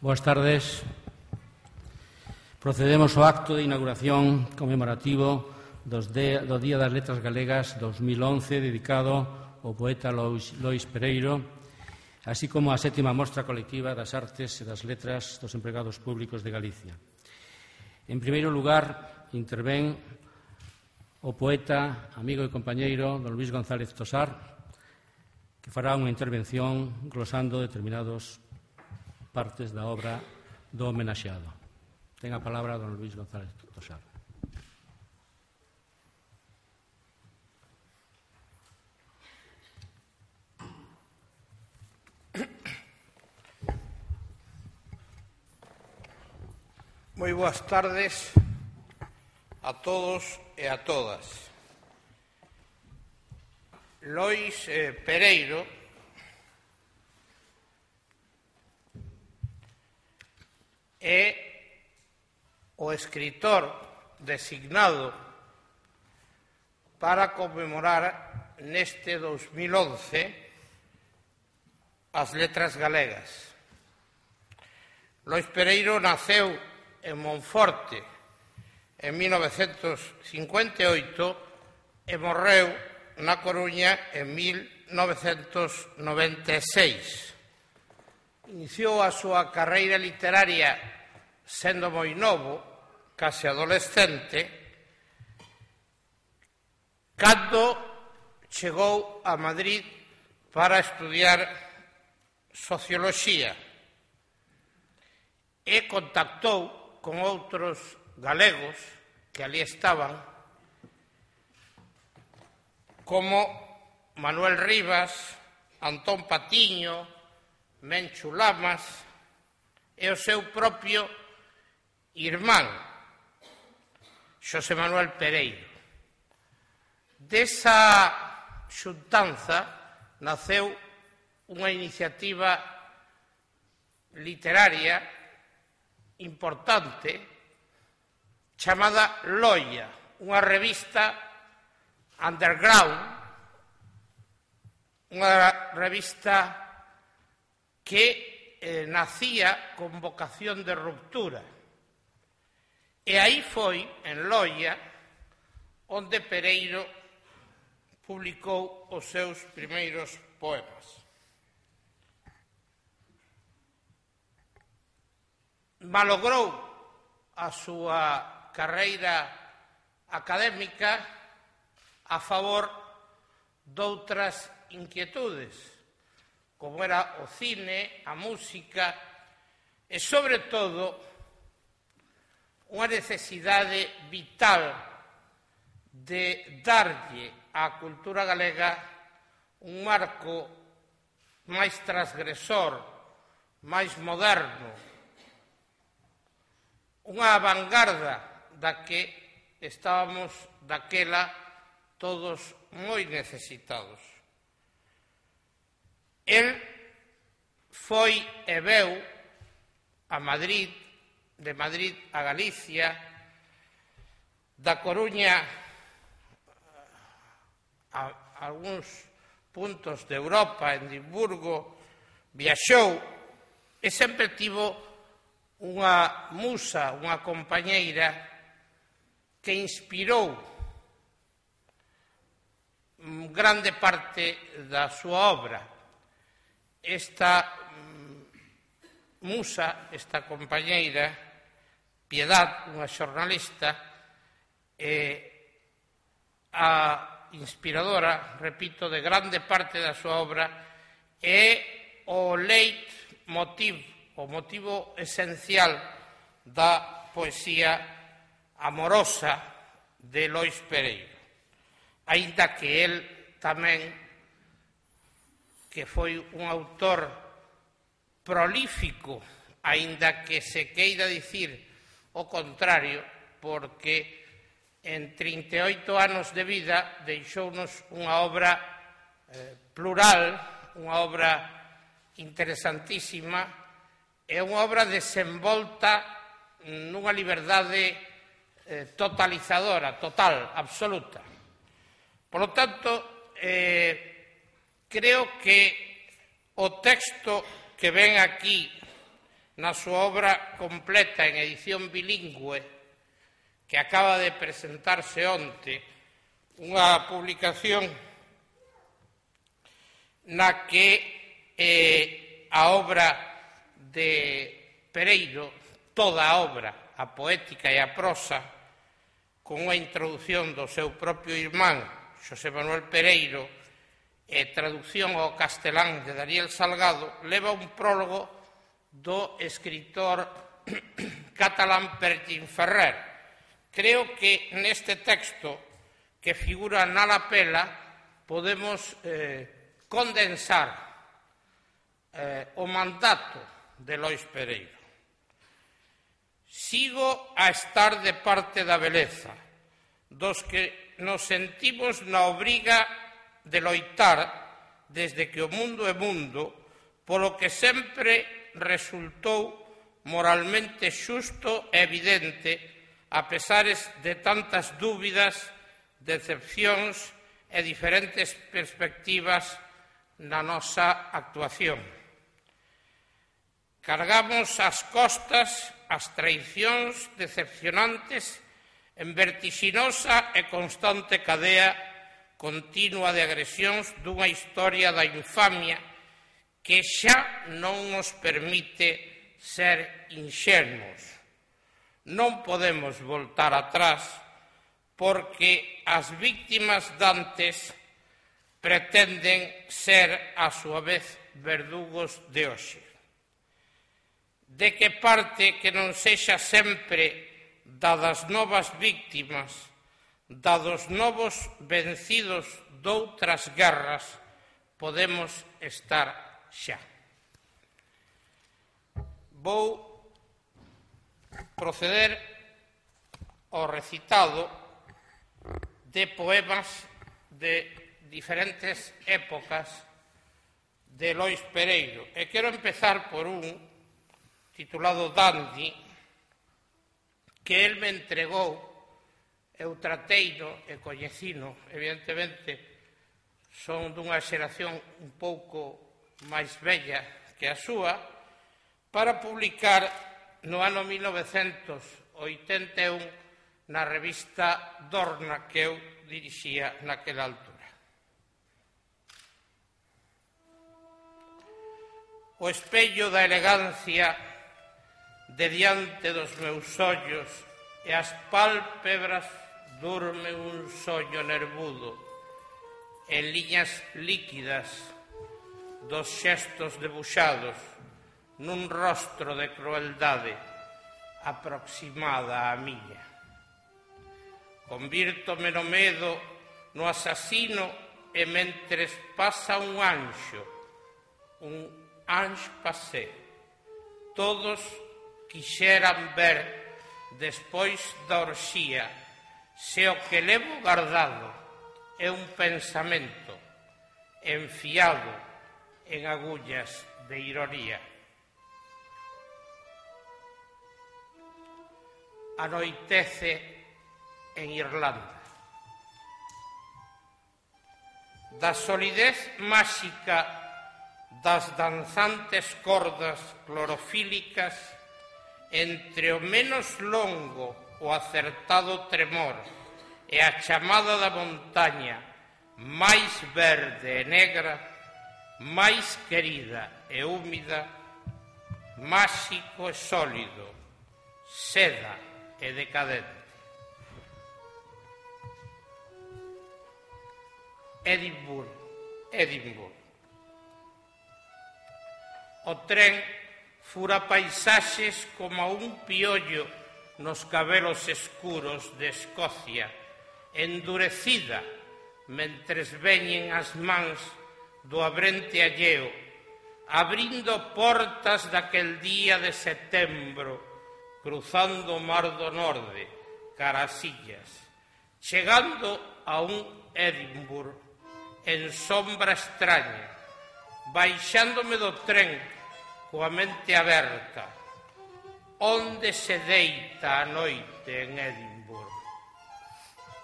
Boas tardes. Procedemos ao acto de inauguración conmemorativo do Día das Letras Galegas 2011, dedicado ao poeta Lois Pereiro, así como á 7ª Mostra Colectiva das Artes e das Letras dos Empregados Públicos de Galicia. En primeiro lugar, intervén o poeta, amigo e compañeiro don Luís González Tosar, que fará unha intervención glosando determinadas partes da obra do homenaxeado. Ten a palabra don Luís González Tosar. Moi boas tardes a todos e a todas. Lois Pereiro é o escritor designado para conmemorar neste 2011 as letras galegas. Lois Pereiro naceu en Monforte en 1958 e morreu na Coruña en 1996. Iniciou a súa carreira literaria sendo moi novo, case adolescente, cando chegou a Madrid para estudiar socioloxía e contactou con outros galegos que ali estaban, como Manuel Rivas, Antón Patiño, Menchu Lamas e o seu propio irmán, Xosé Manuel Pereiro. Desa xuntanza naceu unha iniciativa literaria importante chamada Loia, unha revista underground, unha revista que nacía con vocación de ruptura. E aí foi, en Loia, onde Pereiro publicou os seus primeiros poemas. Malogrou a súa carreira académica a favor doutras inquietudes, como era o cine, a música e, sobre todo, unha necesidade vital de darlle á cultura galega un marco máis transgresor, máis moderno, unha vanguarda da que estábamos daquela todos moi necesitados. El foi e veu a Madrid, de Madrid a Galicia, da Coruña a algúns puntos de Europa, en Edimburgo, viaxou e sempre tivo unha musa, unha compañeira que inspirou grande parte da súa obra. Esta musa, esta compañeira, Piedad, unha xornalista, a inspiradora, repito, de grande parte da súa obra, é o leitmotiv, o motivo esencial da poesía amorosa de Lois Pereiro. Aínda que el tamén, que foi un autor prolífico, aínda que se queira dicir o contrario, porque en 38 anos de vida deixounos unha obra plural, unha obra interesantísima, e unha obra desenvolta nunha liberdade totalizadora, total, absoluta. Por lo tanto, creo que o texto que ven aquí na súa obra completa en edición bilingüe que acaba de presentarse onte, unha publicación na que a obra de Pereiro, toda a obra, a poética e a prosa, con unha introdución do seu propio irmán, Xosé Manuel Pereiro, e traducción ao castelán de Daniel Salgado, leva un prólogo do escritor catalán Pertín Ferrer. Creo que neste texto que figura na lapela podemos condensar o mandato de Lois Pereiro. Sigo a estar de parte da beleza, dos que nos sentimos na obriga de loitar desde que o mundo é mundo, polo que sempre resultou moralmente xusto e evidente, a pesares de tantas dúbidas, decepcións e diferentes perspectivas na nosa actuación. Cargamos ás costas as traicións decepcionantes en vertixinosa e constante cadea continua de agresións dunha historia da infamia que xa non nos permite ser inxenuos. Non podemos voltar atrás porque as víctimas dantes pretenden ser, a súa vez, verdugos de hoxe. De que parte que non sexa sempre da das novas víctimas, da dos novos vencidos doutras guerras, podemos estar xa. Vou proceder ao recitado de poemas de diferentes épocas de Lois Pereiro. E quero empezar por un titulado Dandy, que el me entregou, eu trateino e coñecino, evidentemente, son dunha xeración un pouco máis bella que a súa, para publicar no ano 1981 na revista Dorna que eu dirixía naquela altura. O espello da elegancia de diante dos meus ollos e as pálpebras durmen un soño nervudo en liñas líquidas dos xestos debuxados nun rostro de crueldade aproximada á miña. Convírtome no medo no asasino e mentres pasa un anxo pasé. Todos quixeran ver despois da orxía se o que levo guardado é un pensamento enfiado en agullas de ironía. Anoitece en Irlanda. Da solidez máxica das danzantes cordas clorofílicas entre o menos longo o acertado tremor e a chamada da montaña máis verde e negra, máis querida e húmida, máxico e sólido, seda e decadente. Edimburgo. O tren fura paisaxes como un piollo nos cabelos escuros de Escocia, endurecida mentres veñen as mans do abrente alleo, abrindo portas daquel día de setembro, cruzando o mar do Norde, cara ás illas, chegando a un Edimburgo en sombra extraña, baixándome do tren coa mente aberta, onde se deita a noite en Edimburgo.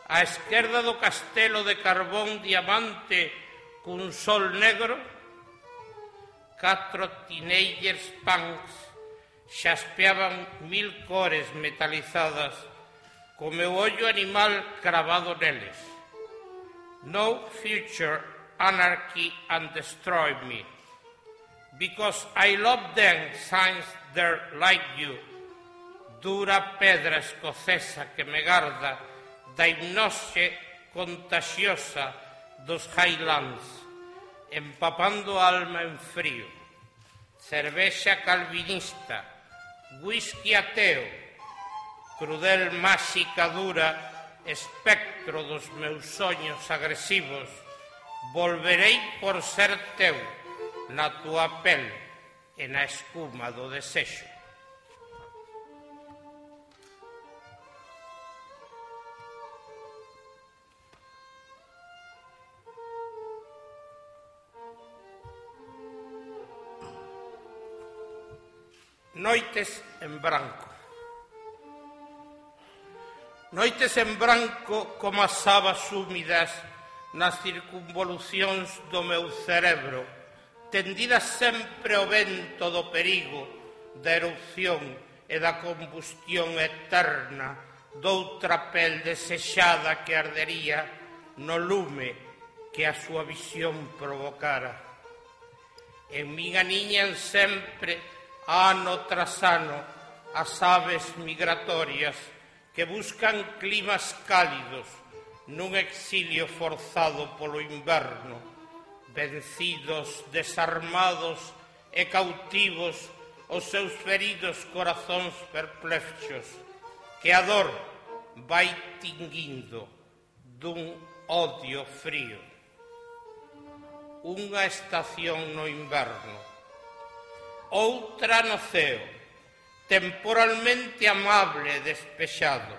Á esquerda do castelo de carbón diamante cun sol negro, 4 teenagers punks xaspeaban 1000 cores metalizadas co meu ollo animal cravado neles. No future, anarchy and destroy me. Because I love them since they're like you. Dura pedra escocesa que me garda da hipnose contagiosa dos Highlands, empapando a alma en frío. Cervexa calvinista, whisky ateo, crudel máxica dura, espectro dos meus soños agresivos, volverei por ser teu, na túa pel e na escuma do desexo. Noites en branco. Noites en branco como as sabas húmidas nas circunvolucións do meu cerebro, tendidas sempre ao vento do perigo, da erupción e da combustión eterna doutra pel desexada que ardería no lume que a súa visión provocara. En min aniñan sempre, ano tras ano, as aves migratorias que buscan climas cálidos nun exilio forzado polo inverno, vencidos, desarmados e cautivos os seus feridos corazóns perplexos, que a dor vai tinguindo dun odio frío. Unha estación no inverno, outra no ceo, temporalmente amable e despexado,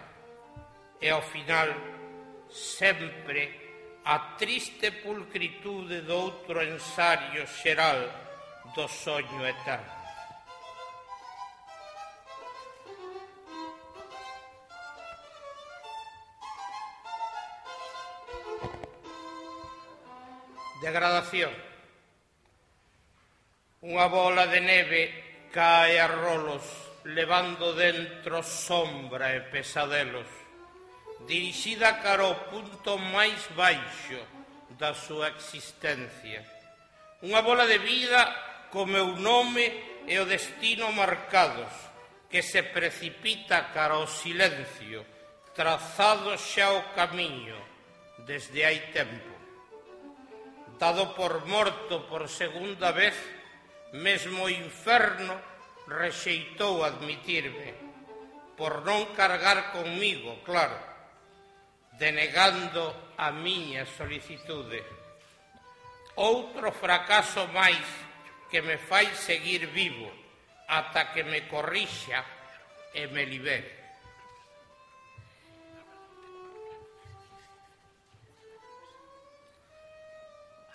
e ao final sempre a triste pulcritude do outro ensario xeral do soño eterno. Degradación. Unha bola de neve cae a rolos, levando dentro sombra e pesadelos, dirixida cara ao punto máis baixo da súa existencia. Unha bola de vida co meu nome e o destino marcados, que se precipita cara ao silencio, trazado xa o camiño desde hai tempo. Dado por morto por segunda vez, mesmo o inferno rexeitou admitirme, por non cargar conmigo, claro, denegando a miña solicitude. Outro fracaso máis que me fai seguir vivo ata que me corrixa e me libere.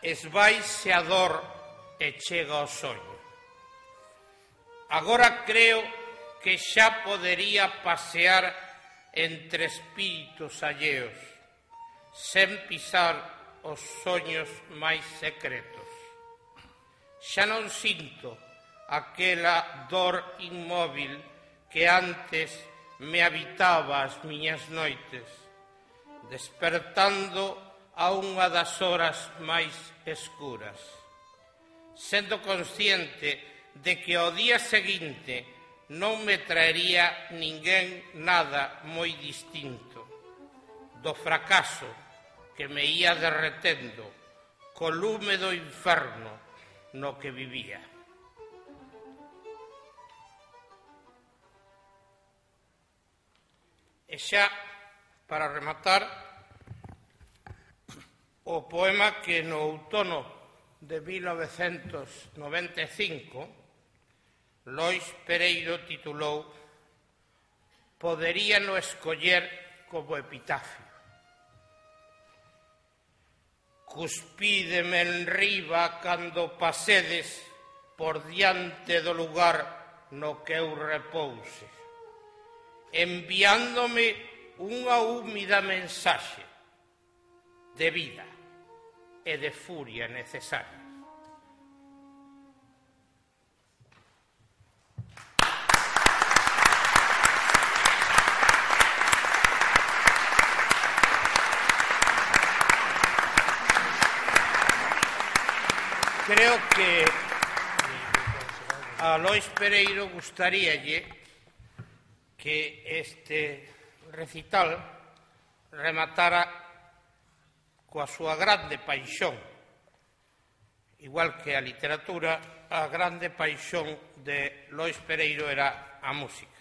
Esvaise a dor e chega o soño. Agora creo que xa podería pasear entre espíritus alleos, sen pisar os soños máis secretos. Xa non sinto aquela dor inmóvil que antes me habitaba as miñas noites, despertando a unha das horas máis escuras, sendo consciente de que ao día seguinte non me traería ninguén nada moi distinto do fracaso que me ia derretendo co lume do inferno no que vivía. E xa, para rematar, o poema que no outono de 1995 Lois Pereiro titulou Poderíano escoller como epitafio. Cuspídeme enriba cando pasedes por diante do lugar no que eu repouse, enviándome unha húmida mensaxe de vida e de furia necesaria. creo que a Lois Pereiro gustaríalle que este recital rematara coa súa grande paixón, igual que a literatura, a grande paixón de Lois Pereiro era a música.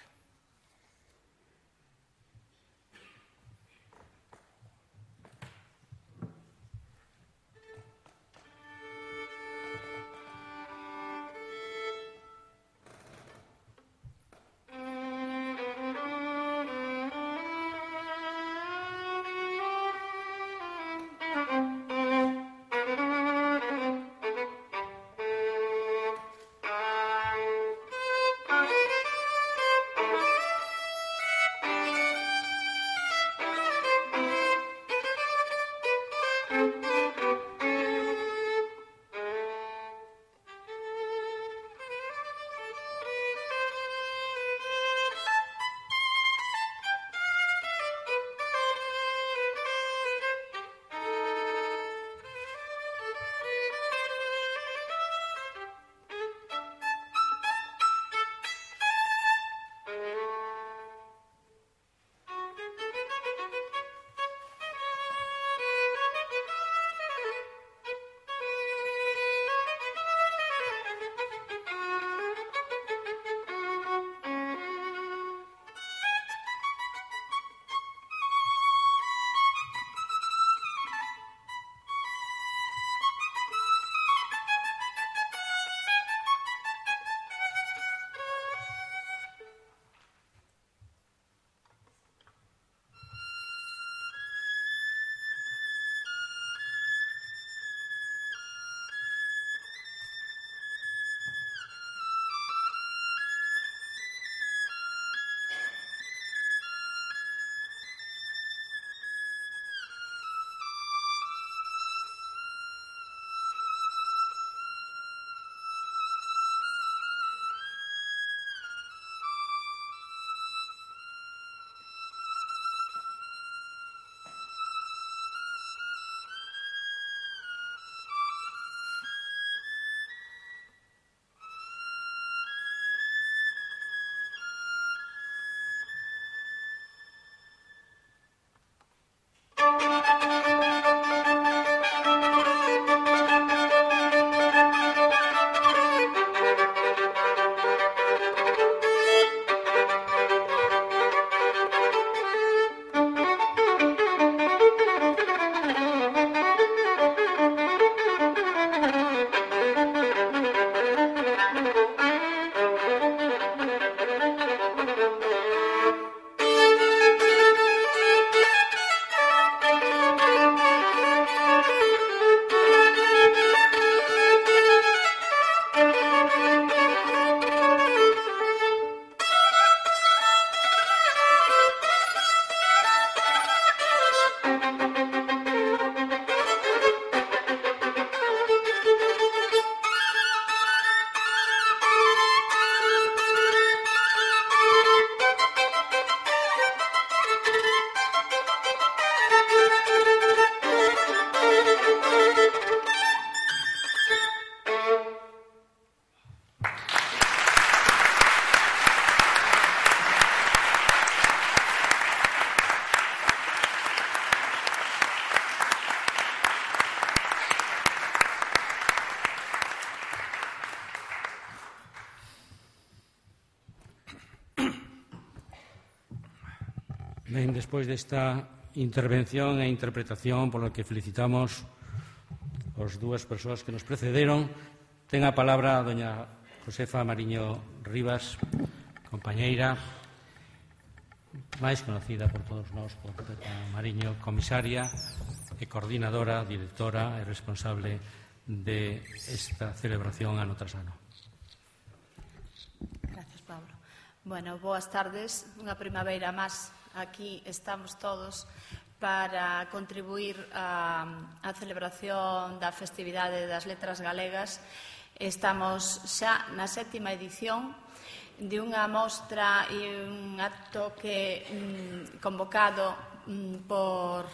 Ben, despois desta intervención e interpretación pola que felicitamos as dúas persoas que nos precederon, ten a palabra a doña Josefa Mariño Rivas, compañeira, máis conocida por todos nós por Mariño, comisaria e coordinadora, directora e responsable de esta celebración ano tras ano. Gracias, Pablo. Bueno, boas tardes, unha primavera máis. Aquí estamos todos para contribuir á celebración da festividade das letras galegas. Estamos xa na 7ª edición de unha mostra e un acto que convocado por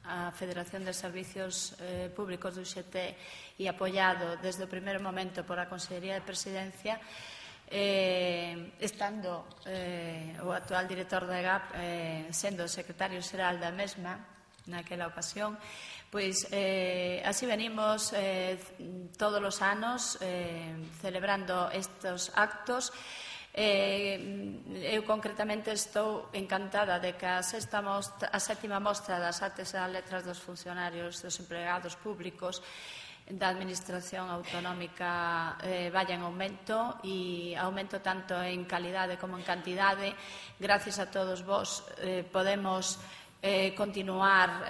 a Federación de Servicios Públicos do UGT e apoiado desde o primeiro momento por a Consellería de Presidencia, estando o actual director da EGAP sendo o secretario xeral da mesma naquela ocasión, pois así venimos todos os anos celebrando estes actos. Eu concretamente estou encantada de que a sétima mostra das artes e das letras dos funcionarios, dos empregados públicos da Administración Autonómica vaya en aumento, e aumento tanto en calidade como en cantidade. Gracias a todos vos podemos continuar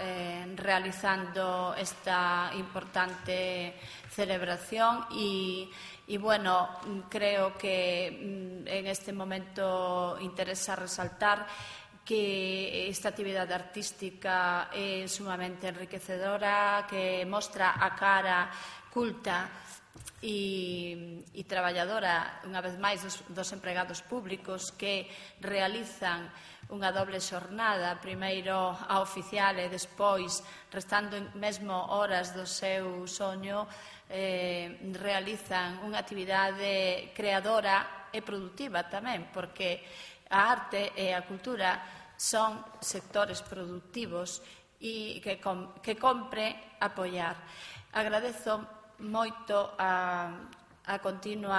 realizando esta importante celebración e, bueno, creo que en este momento interesa resaltar que esta actividade artística é sumamente enriquecedora, que mostra a cara culta e traballadora, unha vez máis, dos empregados públicos que realizan unha doble xornada, primeiro a oficial e despois, restando mesmo horas do seu soño, realizan unha actividade creadora e produtiva tamén, porque a arte e a cultura son sectores productivos e que compre apoiar. Agradezo moito a continuo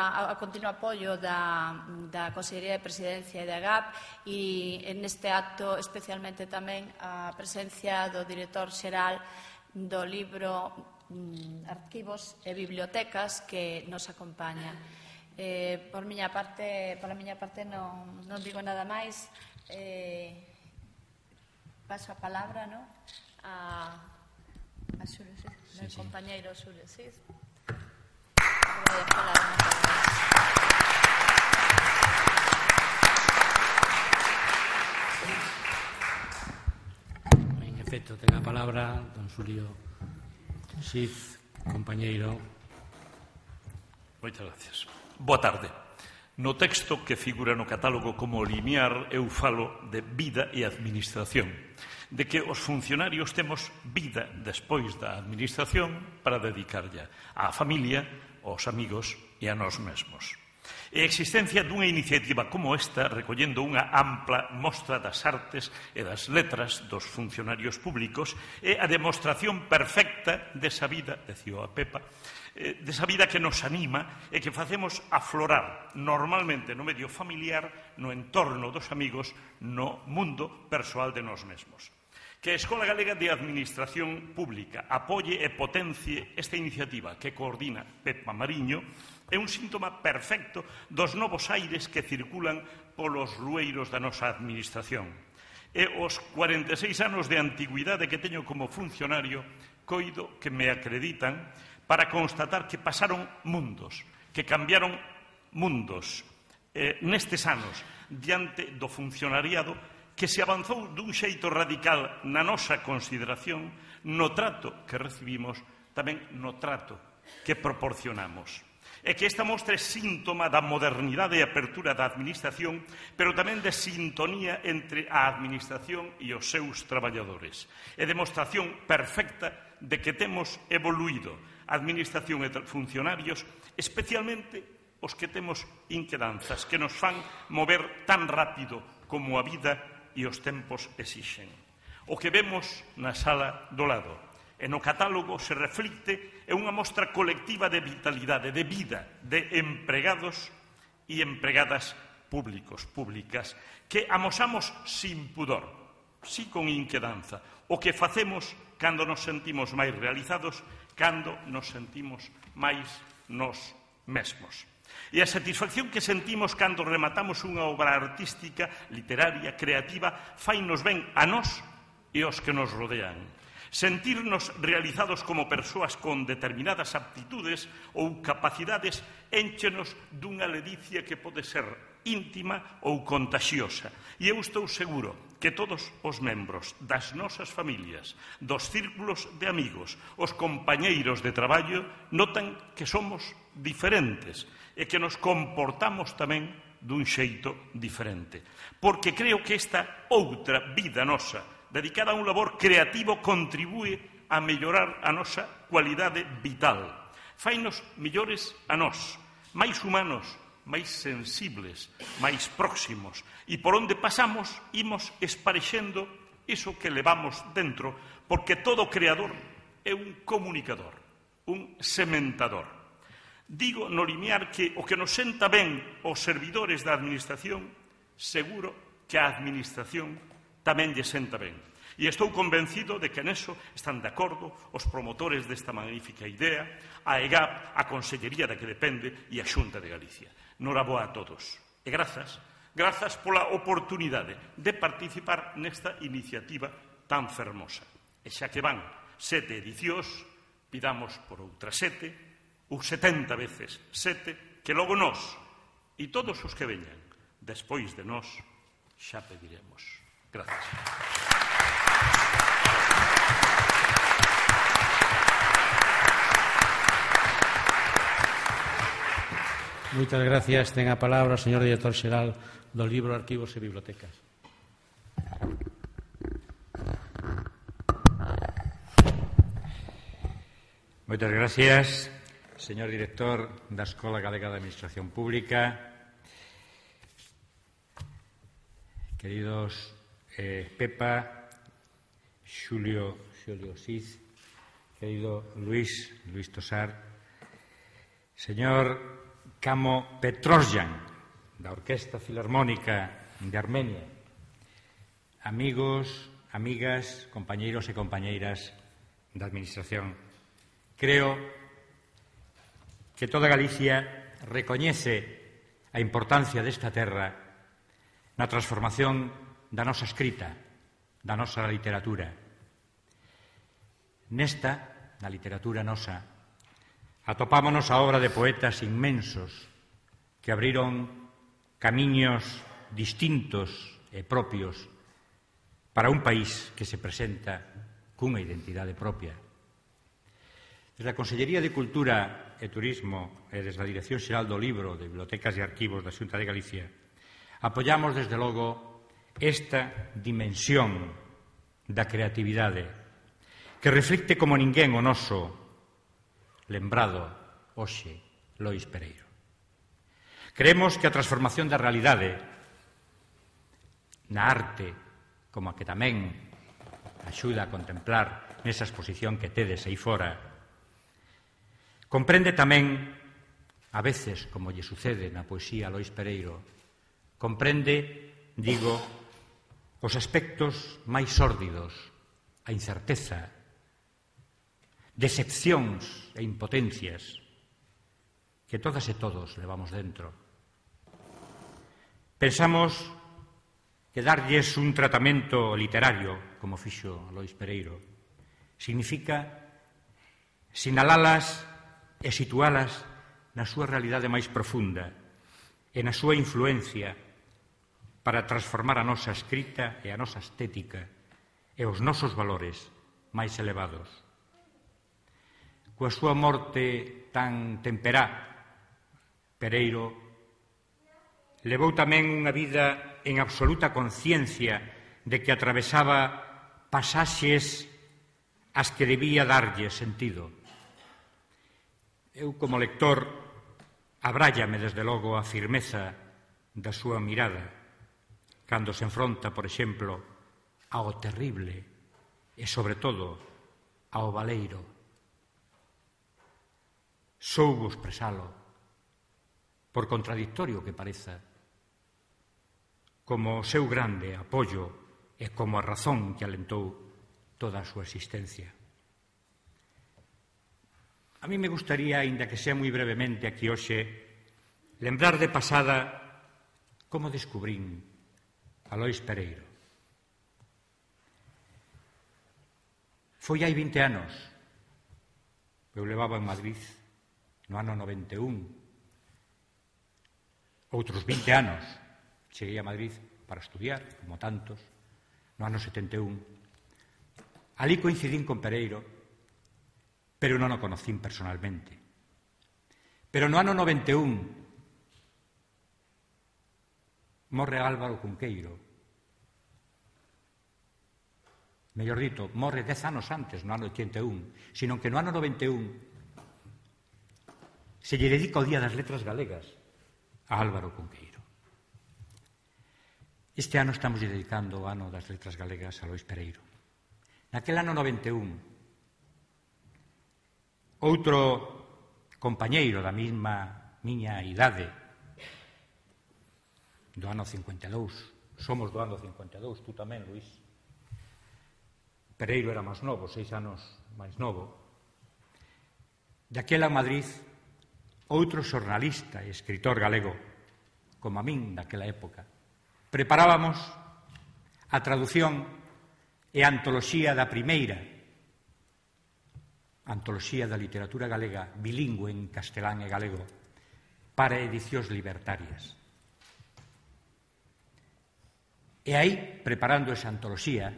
apoio da Consellería de Presidencia e da GAP, e neste acto especialmente tamén a presencia do director xeral do libro Arquivos e Bibliotecas, que nos acompaña. Pola miña parte non digo nada máis. Paso a palabra a Xulio Cid, meu compañeiro Xulio Cid. En efecto, ten a palabra don Xulio Cid, compañeiro. Moitas gracias. Boa tarde. No texto que figura no catálogo como limiar, eu falo de vida e administración, de que os funcionarios temos vida despois da administración para dedicarlla á familia, aos amigos e a nós mesmos. E a existencia dunha iniciativa como esta, recollendo unha ampla mostra das artes e das letras dos funcionarios públicos, é a demostración perfecta desa vida, decía a Pepa, desa vida que nos anima e que facemos aflorar normalmente no medio familiar, no entorno dos amigos, no mundo persoal de nós mesmos. Que a Escola Galega de Administración Pública apoie e potencie esta iniciativa que coordina Pepa Mariño é un síntoma perfecto dos novos aires que circulan polos rueiros da nosa administración. E os 46 anos de antigüidade que teño como funcionario, coido que me acreditan para constatar que pasaron mundos, que cambiaron mundos nestes anos diante do funcionariado, que se avanzou dun xeito radical na nosa consideración, no trato que recibimos, tamén no trato que proporcionamos. É que esta mostra é síntoma da modernidade e apertura da administración, pero tamén de sintonía entre a administración e os seus traballadores. É demostración perfecta de que temos evoluído a administración e funcionarios, especialmente os que temos inquedanzas, que nos fan mover tan rápido como a vida e os tempos exixen. O que vemos na sala do lado e no catálogo se reflicte é unha mostra colectiva de vitalidade, de vida, de empregados e empregadas públicos, públicas, que amosamos sin pudor, si con inquedanza, o que facemos cando nos sentimos máis realizados, cando nos sentimos máis nós mesmos. E a satisfacción que sentimos cando rematamos unha obra artística, literaria, creativa, fainos ben a nós e aos que nos rodean. Sentirnos realizados como persoas con determinadas aptitudes ou capacidades énchenos dunha ledicia que pode ser íntima ou contaxiosa. E eu estou seguro que todos os membros das nosas familias, dos círculos de amigos, os compañeiros de traballo, notan que somos diferentes e que nos comportamos tamén dun xeito diferente. Porque creo que esta outra vida nosa, dedicada a un labor creativo, contribúe a mellorar a nosa cualidade vital. Fainos mellores a nós, máis humanos, máis sensibles, máis próximos. E por onde pasamos, imos esparexendo iso que levamos dentro, porque todo creador é un comunicador, un sementador. Digo no limiar que o que nos senta ben os servidores da Administración, seguro que a Administración tamén lle senta ben. E estou convencido de que neso están de acordo os promotores desta magnífica idea, a EGAP, a Consellería da que depende e a Xunta de Galicia. Noraboa a todos. E grazas pola oportunidade de participar nesta iniciativa tan fermosa. E xa que van 7 edicións, pidamos por outras 7, ou 70 veces 7, que logo nós, e todos os que veñan despois de nós, xa pediremos. Gracias. Moitas gracias. Ten a palabra o señor director xeral do Libro, Arquivos e Bibliotecas. Moitas gracias, señor director da Escola Galega de Administración Pública, queridos Pepa, Xulio Osiz, querido Luis Tosar, señor Kamo Petrosyan, da Orquesta Filarmónica de Armenia, amigos, amigas, compañeiros e compañeiras da Administración. Creo que toda Galicia recoñece a importancia desta terra na transformación da nosa escrita, da nosa literatura. Nesta, na literatura nosa, atopámonos a obra de poetas inmensos que abriron camiños distintos e propios para un país que se presenta cunha identidade propia. Desde a Consellería de Cultura e Turismo e desde a Dirección Xeral do Libro, de Bibliotecas e Arquivos da Xunta de Galicia, apoiamos desde logo esta dimensión da creatividade que reflicte como ninguén o noso lembrado hoxe Lois Pereiro. Creemos que a transformación da realidade na arte, como a que tamén axuda a contemplar nesa exposición que tedes aí fora, comprende tamén, a veces, como lle sucede na poesía a Lois Pereiro, comprende, digo, os aspectos máis sórdidos, a incerteza, decepcións e impotencias que todas e todos levamos dentro. Pensamos que darlles un tratamento literario, como fixo Lois Pereiro, significa sinalalas e situalas na súa realidade máis profunda e na súa influencia para transformar a nosa escrita e a nosa estética e os nosos valores máis elevados. Coa súa morte tan temperá, Pereiro levou tamén unha vida en absoluta conciencia de que atravesaba pasaxes ás que debía darlle sentido. Eu, como lector, abrállame desde logo a firmeza da súa mirada cando se enfronta, por exemplo, ao terrible e, sobre todo, ao baleiro. Soubo expresalo, por contradictorio que pareza, como o seu grande apoio e como a razón que alentou toda a súa existencia. A mí me gustaría, aínda que sea moi brevemente aquí hoxe, lembrar de pasada como descubrín a Lois Pereiro. Foi hai 20 anos. Eu levaba en Madrid no ano 91. Outros 20 anos cheguei a Madrid para estudiar, como tantos, no ano 71. Alí coincidín con Pereiro, pero non o conocín personalmente. Pero no ano 91 morre Álvaro Cunqueiro. mellor dito, morre 10 anos antes, no ano 81, sino que no ano 91 se lle dedica o Día das Letras Galegas a Álvaro Cunqueiro. Este ano estamos dedicando o ano das Letras Galegas a Lois Pereiro. Naquel ano 91, outro compañeiro da mesma miña idade, do ano 52, somos do ano 52, tú tamén, Luís. Pereiro era máis novo, 6 anos máis novo. Daquela en Madrid, outro xornalista e escritor galego, como a min daquela época, preparábamos a traducción e a antoloxía da primeira antoloxía da literatura galega bilingüe en castelán e galego para edicións libertarias. E aí, preparando esa antoloxía,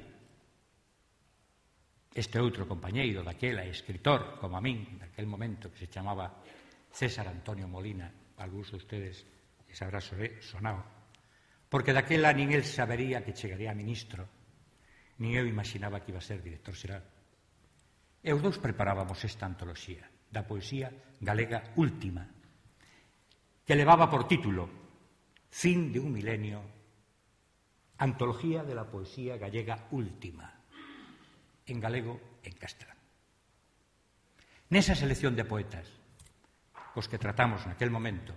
este outro compañeiro daquela, escritor, como a min, daquel momento, que se chamaba César Antonio Molina, algúns de ustedes les habrá sonado, porque daquela nin el sabería que chegaría a ministro, nin eu imaginaba que iba a ser director xeral. E os dous preparábamos esta antoloxía da poesía galega última, que levaba por título Fin de un milenio, antología de la poesía gallega última, en galego e en castelán. Nesa selección de poetas cos que tratamos naquel momento,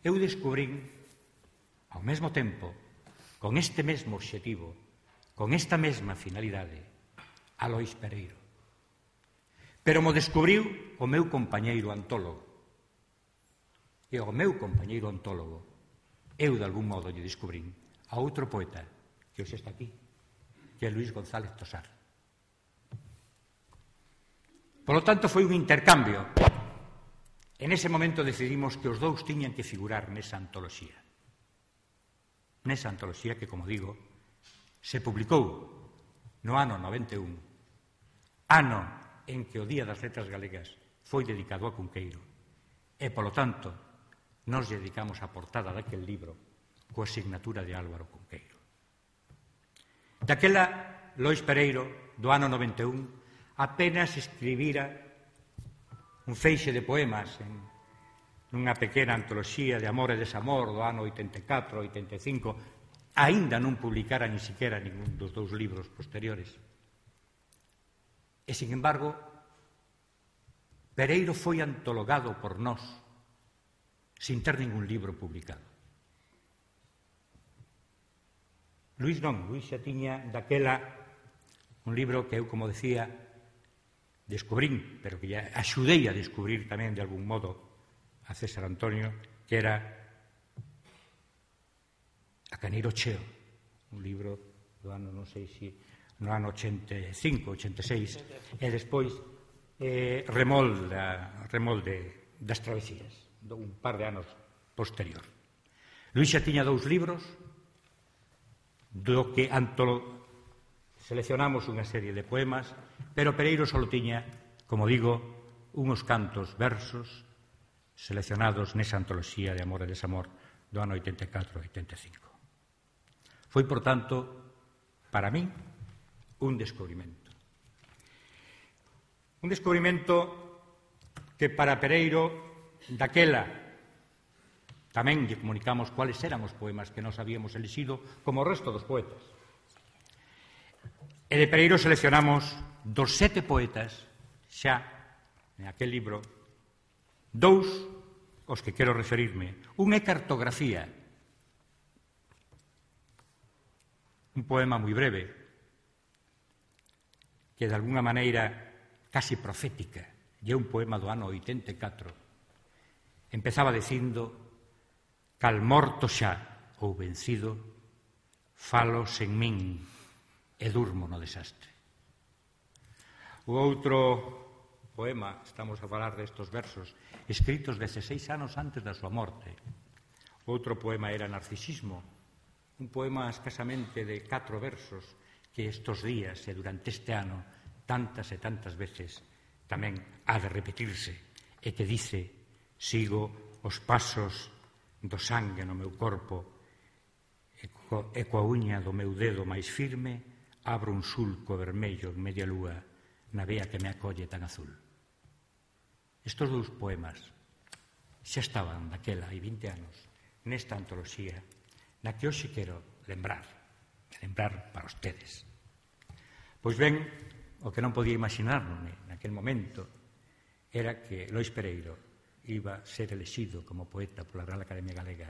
eu descubrín ao mesmo tempo, con este mesmo obxectivo, con esta mesma finalidade, a Lois Pereiro. Pero mo descubriu o meu compañeiro antólogo. E o meu compañeiro antólogo, eu de algún modo lle descubrín a outro poeta que hoxe está aquí, que é Luís González Tosar. Por lo tanto, foi un intercambio. En ese momento decidimos que os dous tiñan que figurar nesa antoloxía. Nesa antoloxía que, como digo, se publicou no ano 91, ano en que o Día das Letras Galegas foi dedicado a Cunqueiro, e, polo tanto, nos dedicamos a portada daquel libro coa asignatura de Álvaro Cunqueiro. Daquela, Lois Pereiro, do ano 91, apenas escribira un feixe de poemas en nunha pequena antoloxía de amor e desamor do ano 84-85, aínda non publicara ni siquiera ningún dos dous libros posteriores. E, sin embargo, Pereiro foi antologado por nós sin ter ningún libro publicado. Luís non, Luís xa tiña daquela un libro que eu, como decía, descubrín, pero que ya axudei a descubrir tamén de algún modo a César Antonio, que era A Caneiro Cheo, un libro do ano, non sei se no ano 85, 86, e despois Remol das Travesías, un par de anos posterior. Luís xa tiña 2 libros, do que seleccionamos unha serie de poemas, pero Pereiro só tiña, como digo, unos cantos versos seleccionados nesa antoloxía de amor e desamor do ano 84-85. Foi, por tanto, para min, un descubrimento. Un descubrimento que para Pereiro, daquela, tamén lle comunicamos cuáles eran os poemas que nós habíamos elixido como o resto dos poetas. E de Pereiro seleccionamos dos 7 poetas, xa, en aquel libro, 2 os que quero referirme. Un é Cartografía, un poema moi breve, que de alguna maneira casi profética, e é un poema do ano 84. Empezaba dicindo: cal morto xa ou vencido, falo sen min e durmo no desastre. O outro poema, estamos a falar destes versos, escritos 16 anos antes da súa morte. O outro poema era Narcisismo, un poema escasamente de 4 versos que estes días e durante este ano tantas e tantas veces tamén ha de repetirse, e que dice: sigo os pasos do sangue no meu corpo e coa uña do meu dedo máis firme abro un sulco vermello en media lúa na vea que me acolle tan azul. Estos dous poemas xa estaban daquela hai 20 anos nesta antoloxía na que hoxe quero lembrar para ustedes. Pois ben, o que non podía imaginarme naquel momento era que Lois Pereiro iba a ser elexido como poeta pola Real Academia Galega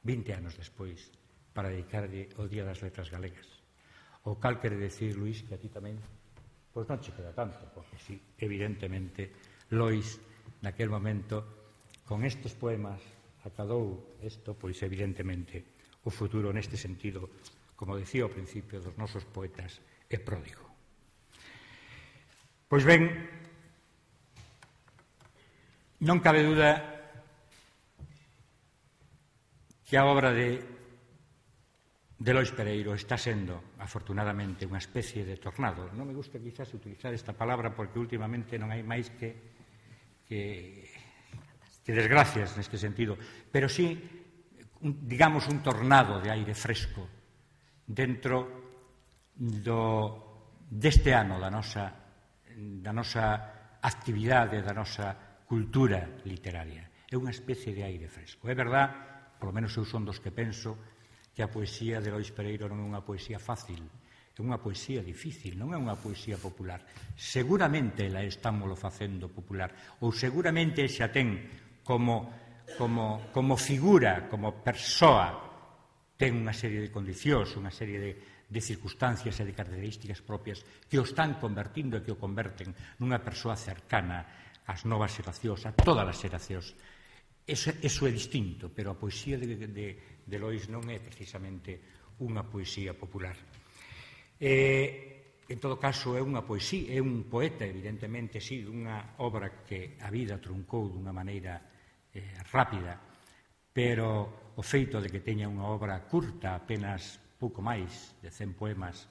20 anos despois para dedicarlle o Día das Letras Galegas. O cal quere decir, Luís, que a ti tamén pois non che queda tanto, porque sí, evidentemente Lois naquel momento con estes poemas acadou isto, pois evidentemente o futuro neste sentido, como decía ao principio dos nosos poetas, é pródigo. Pois ben, non cabe duda que a obra de Lois Pereiro está sendo, afortunadamente, unha especie de tornado. Non me gusta quizás utilizar esta palabra porque últimamente non hai máis que desgracias neste sentido, pero sí, digamos, un tornado de aire fresco dentro deste ano da nosa actividade, da nosa cultura literaria. É unha especie de aire fresco. É verdad, polo menos eu son dos que penso, que a poesía de Lois Pereiro non é unha poesía fácil, é unha poesía difícil, non é unha poesía popular. Seguramente ela estámoslo facendo popular, ou seguramente xa ten como figura, como persoa, ten unha serie de condicións, unha serie de circunstancias e de características propias que o están convertindo e que o converten nunha persoa cercana ás novas xeracións, a todas as xeracións. Eso é distinto, pero a poesía de Lois non é precisamente unha poesía popular. En todo caso, é unha poesía, é un poeta, evidentemente, sí, dunha obra que a vida truncou dunha maneira rápida, pero o feito de que teña unha obra curta, apenas pouco máis de 100 poemas,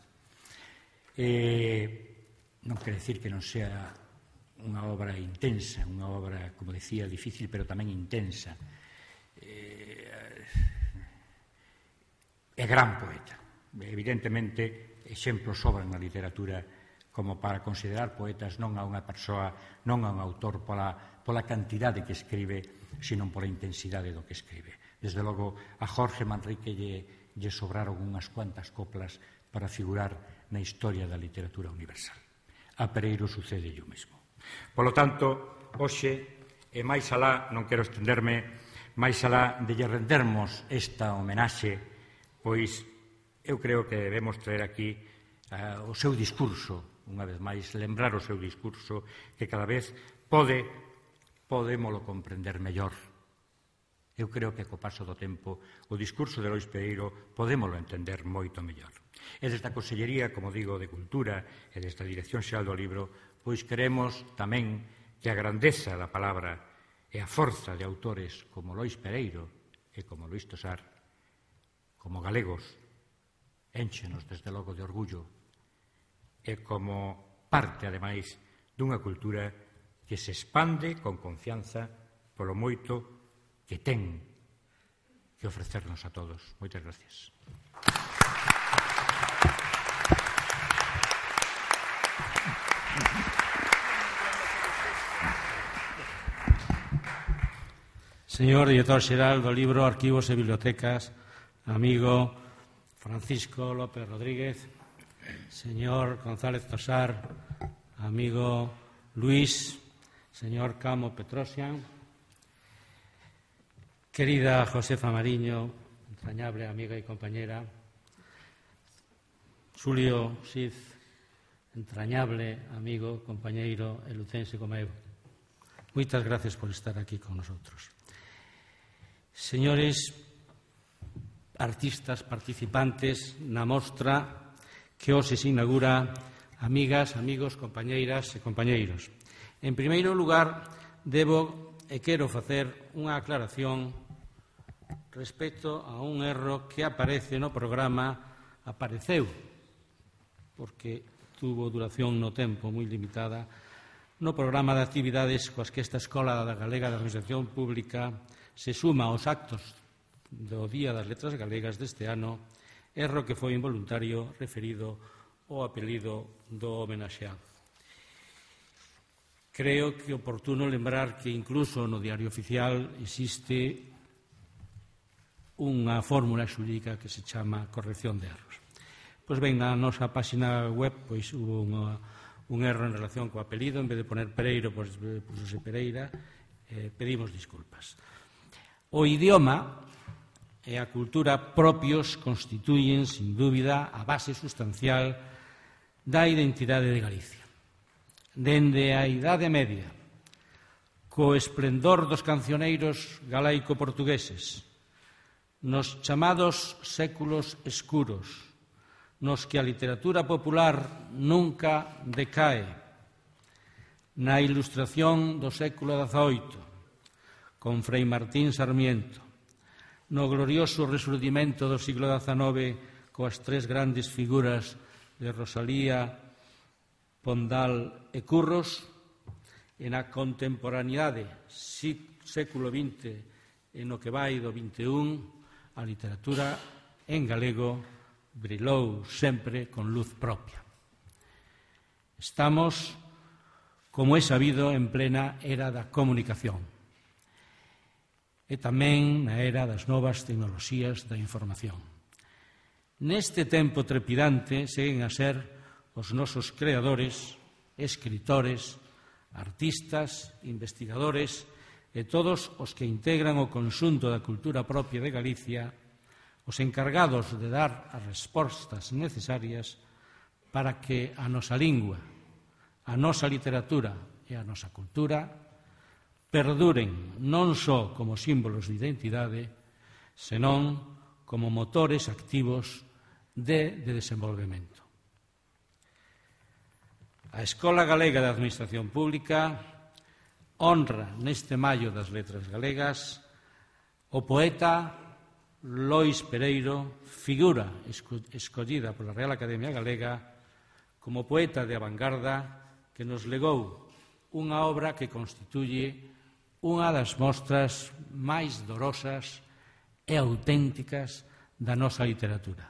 non quere decir que non sea unha obra intensa, unha obra, como decía, difícil, pero tamén intensa. É gran poeta. Evidentemente, exemplos sobran na literatura como para considerar poetas non a unha persoa, non a un autor pola cantidade que escribe, sino pola intensidade do que escribe. Desde logo, a Jorge Manrique lle sobraron unhas cuantas coplas para figurar na historia da literatura universal. A Pereiro sucede o mesmo. Polo tanto, hoxe, e máis alá, non quero estenderme, máis alá de lle rendermos esta homenaxe, pois eu creo que debemos traer aquí o seu discurso, unha vez máis, lembrar o seu discurso, que cada vez podémolo comprender mellor. Eu creo que co paso do tempo o discurso de Lois Pereiro podémolo entender moito mellor. E desde a Consellería, como digo, de Cultura e desde a Dirección Xeral do Libro, pois queremos tamén que a grandeza da palabra e a forza de autores como Lois Pereiro e como Luís Tosar, como galegos, énchenos desde logo de orgullo e como parte, ademais, dunha cultura que se expande con confianza polo moito que ten que ofrecernos a todos. Moitas gracias. Señor Director Xeral do Libro, Arquivos e Bibliotecas, amigo Francisco López Rodríguez, señor González Tosar, amigo Luis, señor Camo Petrosian, querida Josefa Mariño, entrañable amiga y compañera, Xulio Xiz, entrañable amigo, compañeiro e lucense como eu. Moitas gracias por estar aquí con nosotros. Señores artistas participantes na mostra que hoxe se inaugura, amigas, amigos, compañeiras e compañeiros. En primeiro lugar, debo e quero facer unha aclaración respecto a un erro que aparece no programa, apareceu, porque tuvo duración no tempo moi limitada, no programa de actividades coas que esta Escola Galega de Administración Pública se suma aos actos do Día das Letras Galegas deste ano, erro que foi involuntario referido o apelido do homenaxeado. Creo que é oportuno lembrar que incluso no Diario Oficial existe unha fórmula xurídica que se chama corrección de erros. Pois ben, na nosa página web pois hubo un erro en relación co apelido, en vez de poner Pereiro, pois pusose Pereira, pedimos disculpas. O idioma e a cultura propios constituyen, sin dúbida, a base sustancial da identidade de Galicia. Dende a Idade Media, co esplendor dos cancioneiros galaico-portugueses, nos chamados séculos escuros, nos que a literatura popular nunca decae, na Ilustración do século XVIII, con Frei Martín Sarmiento, no glorioso resurdimento do siglo XIX coas tres grandes figuras de Rosalía, Pondal e Curros, e na contemporaneidade século XX e no que vai do XXI, a literatura en galego brilou sempre con luz propia. Estamos, como é sabido, en plena era da comunicación e tamén na era das novas tecnoloxías da información. Neste tempo trepidante seguen a ser os nosos creadores, escritores, artistas, investigadores e todos os que integran o conxunto da cultura propia de Galicia os encargados de dar as respostas necesarias para que a nosa lingua, a nosa literatura e a nosa cultura perduren non só como símbolos de identidade, senón como motores activos de desenvolvemento. A Escola Galega de Administración Pública honra neste Maio das Letras Galegas o poeta Lois Pereiro, figura escollida pola Real Academia Galega como poeta de avangarda que nos legou unha obra que constituye unha das mostras máis dorosas e auténticas da nosa literatura.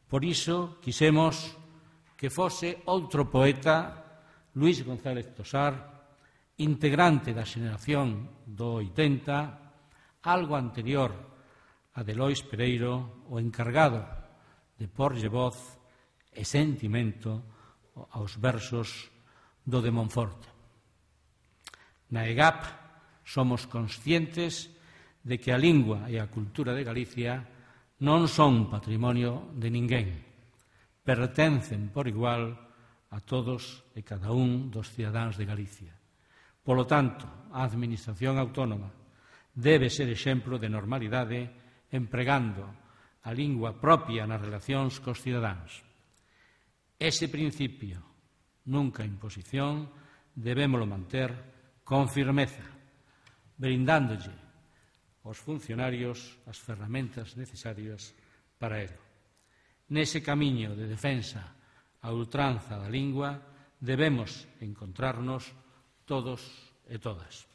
Por iso quisemos que fose outro poeta, Luís González Tosar, integrante da xeración do 80, algo anterior a de Lois Pereiro, o encargado de porlle voz e sentimento aos versos do de Monforte. Na EGAP somos conscientes de que a lingua e a cultura de Galicia non son patrimonio de ninguén, pertencen por igual a todos e cada un dos cidadáns de Galicia. Polo tanto, a Administración Autónoma debe ser exemplo de normalidade empregando a lingua propia nas relacións cos cidadáns. Ese principio, nunca imposición, debémolo manter con firmeza, brindándolle aos funcionarios as ferramentas necesarias para ello. Nese camiño de defensa a ultranza da lingua debemos encontrarnos todos e todas.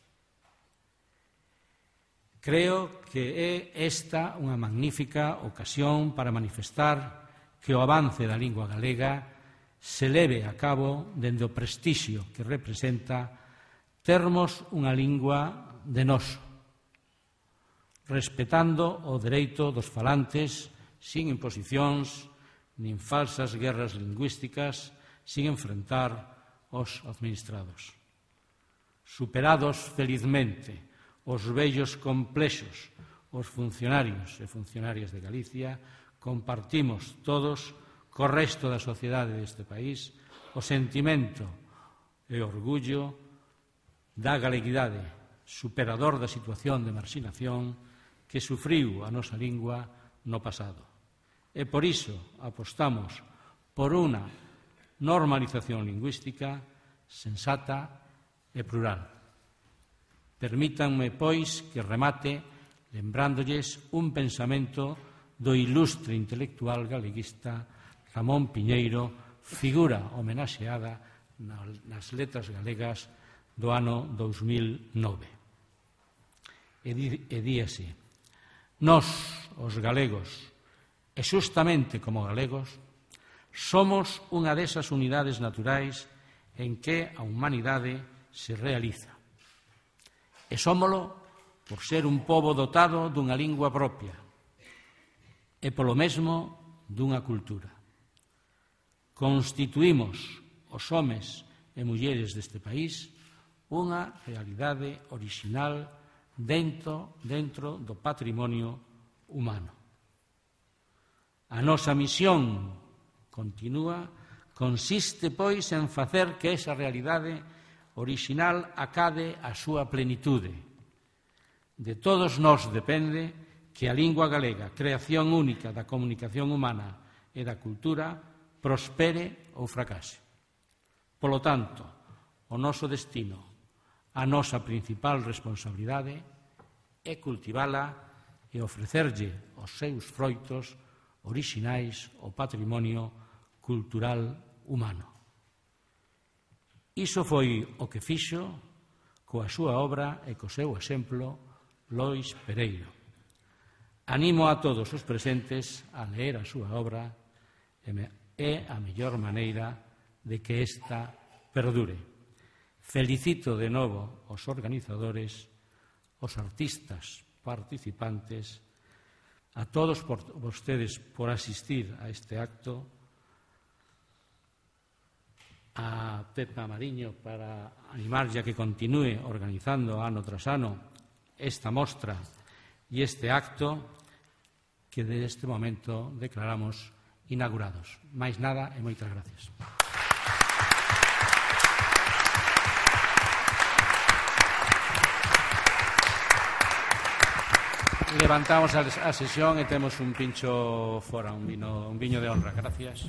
Creo que é esta unha magnífica ocasión para manifestar que o avance da lingua galega se leve a cabo dende o prestixio que representa termos unha lingua de noso, respetando o dereito dos falantes sin imposicións nin falsas guerras lingüísticas, sin enfrentar os administrados. Superados felizmente os vellos complexos, os funcionarios e funcionarias de Galicia, compartimos todos co resto da sociedade deste país o sentimento e orgullo da galeguidade, superador da situación de marxinación que sufriu a nosa lingua no pasado. E por iso apostamos por unha normalización lingüística sensata e plural. Permítanme, pois, que remate lembrándoles un pensamento do ilustre intelectual galeguista Ramón Piñeiro, figura homenaxeada nas letras galegas do ano 2009. E di así: nós, os galegos, e xustamente como galegos, Somos unha desas unidades naturais en que a humanidade se realiza. E somolo por ser un pobo dotado dunha lingua propia e polo mesmo dunha cultura. Constituímos os homes e mulleres deste país unha realidade orixinal dentro do patrimonio humano. A nosa misión continúa consiste, pois, en facer que esa realidade orixinal acade a súa plenitude. De todos nós depende que a lingua galega, creación única da comunicación humana e da cultura, prospere ou fracase. Polo tanto, o noso destino, a nosa principal responsabilidade é cultivala e ofrecerlle os seus froitos orixinais ao patrimonio cultural humano. Iso foi o que fixo coa súa obra e co seu exemplo Lois Pereiro. Animo a todos os presentes a ler a súa obra, é a mellor maneira de que esta perdure. Felicito de novo os organizadores, os artistas participantes, a todos vostedes por asistir a este acto, a Pepa Mariño para animarlle a que continúe organizando ano tras ano esta mostra e este acto que deste momento declaramos inaugurados. Máis nada e moitas gracias. Levantamos a sesión e temos un pincho fora, un viño de honra. Gracias.